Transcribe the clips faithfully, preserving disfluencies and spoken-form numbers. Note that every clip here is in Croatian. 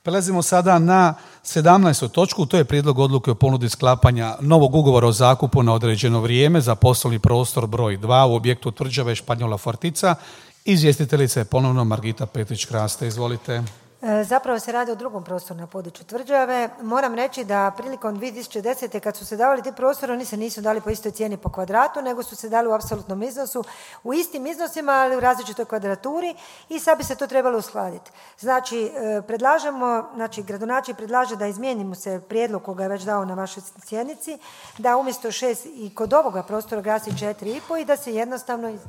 Prelazimo sada na sedamnaestu točku, to je prijedlog odluke o ponudi sklapanja novog ugovora o zakupu na određeno vrijeme za poslovni prostor broj dva u objektu Tvrđave Španjola Fortica. Izvjestiteljica je ponovno Margita Petrić-Kraste. Izvolite. Zapravo se radi o drugom prostoru na području Tvrđave. Moram reći da prilikom dvije tisuće desete. kad su se davali ti prostori, oni se nisu dali po istoj cijeni po kvadratu, nego su se dali u apsolutnom iznosu, u istim iznosima, ali u različitoj kvadraturi i sad bi se to trebalo uskladiti. Znači, predlažemo, znači gradonačelnik predlaže da izmijenimo se prijedlog koga je već dao na vašoj sjednici, da umjesto šest i kod ovoga prostora glasi četiri i po i da se jednostavno iz...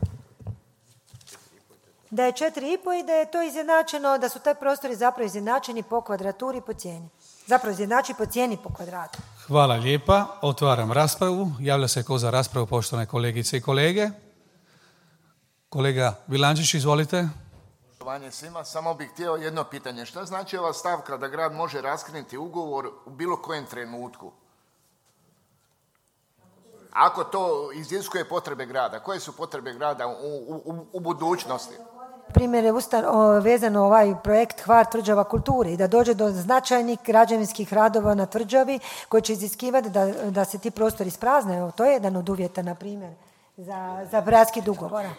da je četiri i po i da je to izjednačeno, da su taj prostori zapravo izjednačeni po kvadraturi i po cijeni. Zapravo izjednači po cijeni po kvadratu. Hvala lijepa. Otvaram raspravu. Javlja se ko za raspravu, poštovane kolegice i kolege. Kolega Vilančić, izvolite. Poštovanje svima, samo bih htio jedno pitanje. Šta znači ova stavka da grad može raskinuti ugovor u bilo kojem trenutku? Ako to iziskuje potrebe grada, koje su potrebe grada u, u, u budućnosti? Primjer je ustan, o, vezano ovaj projekt Hvar Tvrđava kulture i da dođe do značajnih građevinskih radova na Tvrđavi koji će iziskivati da, da se ti prostori isprazne. Evo, to je jedan od uvjeta, na primjer, za, za raskid ugovora.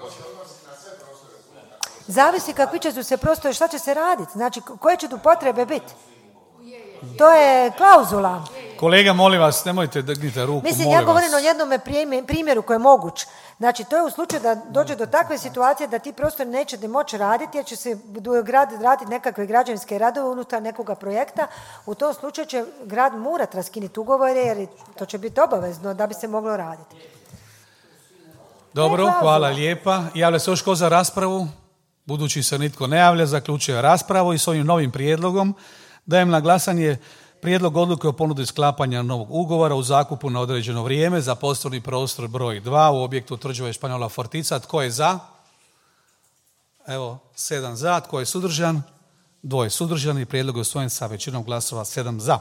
Zavisi kakvi će su se prostori, šta će se raditi, znači koje će tu potrebe biti. To je klauzula. Kolega, molim vas, nemojte drgnite ruku, Mislim, molim ja govorim vas. o jednom primjeru koji je moguć. Znači, to je u slučaju da dođe do takve situacije da ti prostori neće moći raditi, jer će se grad raditi nekakve građevinske radove unutar nekoga projekta. U tom slučaju će grad morat raskinuti ugovore, jer to će biti obavezno da bi se moglo raditi. Dobro, hvala lijepa. Javlja se još ko za raspravu? Budući se nitko ne javlja, zaključuje raspravu i s ovim novim prijedlogom dajem na glasanje prijedlog odluke o ponudi sklapanja novog ugovora u zakupu na određeno vrijeme za poslovni prostor broj dva u objektu Tvrđave Španjola Fortica. Tko je za? Evo, sedam za. Tko je suzdržan? Dvoje suzdržani. Prijedlog je usvojen sa većinom glasova, sedam za.